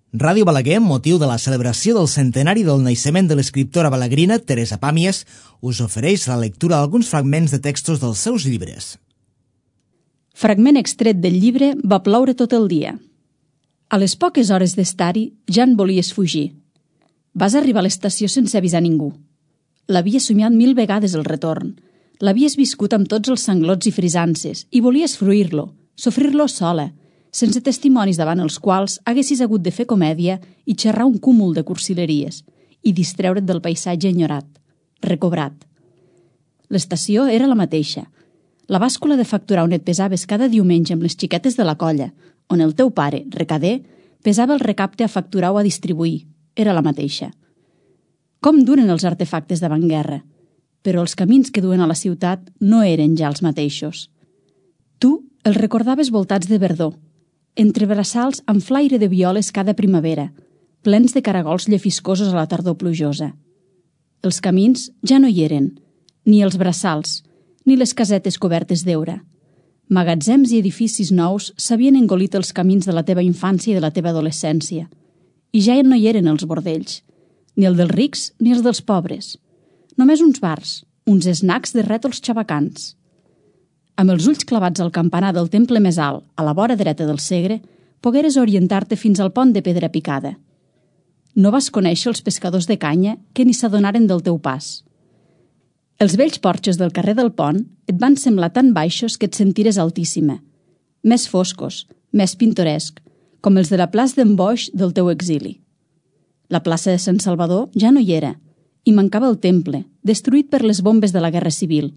Ràdio Balaguer, amb motiu de la celebració del centenari del naixement de l'escriptora balaguerina Teresa Pàmies, us ofereix la lectura d'alguns fragments de textos dels seus llibres. Fragment extret del llibre Va ploure tot el dia. A les poques hores d'estar-hi ja en volies fugir. Vas arribar a l'estació sense avisar ningú. L'havies somiat 1000 vegades el retorn. L'havies viscut amb tots els sanglots i frisances i volies fruir-lo, sofrir-lo sola, sense testimonis davant els quals haguessis hagut de fer comèdia i xerrar un cúmul de cursileries i distreure't del paisatge enyorat, recobrat. L'estació era la mateixa. La bàscula de facturar on et pesaves cada diumenge amb les xiquetes de la colla, on el teu pare, recader, pesava el recapte a facturar o a distribuir, era la mateixa. Com duren els artefactes d'avantguerra, però els camins que duen a la ciutat no eren ja els mateixos. Tu els recordaves voltats de verdor, entre braçals amb flaire de violes cada primavera, plens de caragols llefiscosos a la tardor plujosa. Els camins ja no hi eren, ni els braçals, ni les casetes cobertes d'heura. Magatzems i edificis nous s'havien engolit els camins de la teva infància i de la teva adolescència, i ja no hi eren els bordells, ni el dels rics ni els dels pobres. Només uns bars, uns snacks de rètols xabacans. Amb els ulls clavats al campanar del temple més alt, a la vora dreta del Segre, pogueres orientar-te fins al pont de pedra picada. No vas conèixer els pescadors de canya que ni s'adonaren del teu pas. Els vells porxos del carrer del pont et van semblar tan baixos que et sentires altíssima, més foscos, més pintoresc, com els de la plaça d'en Boix del teu exili. La plaça de Sant Salvador ja no hi era, i mancava el temple, destruït per les bombes de la Guerra Civil,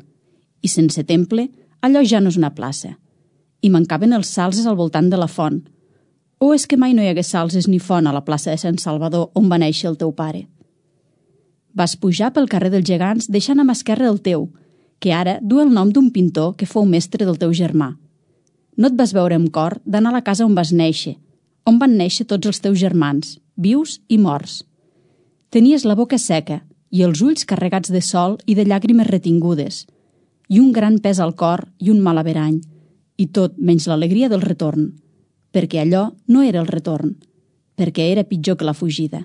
i sense temple, allò ja no és una plaça. I mancaven els salzes al voltant de la font. O és que mai no hi hagués salzes ni font a la plaça de Sant Salvador on va néixer el teu pare? Vas pujar pel carrer dels Gegants deixant a mà esquerra el teu, que ara du el nom d'un pintor que fou mestre del teu germà. No et vas veure amb cor d'anar a la casa on vas néixer, on van néixer tots els teus germans, vius i morts. Tenies la boca seca i els ulls carregats de sol i de llàgrimes retingudes, i un gran pes al cor i un mal averany, i tot menys l'alegria del retorn, perquè allò no era el retorn, perquè era pitjor que la fugida.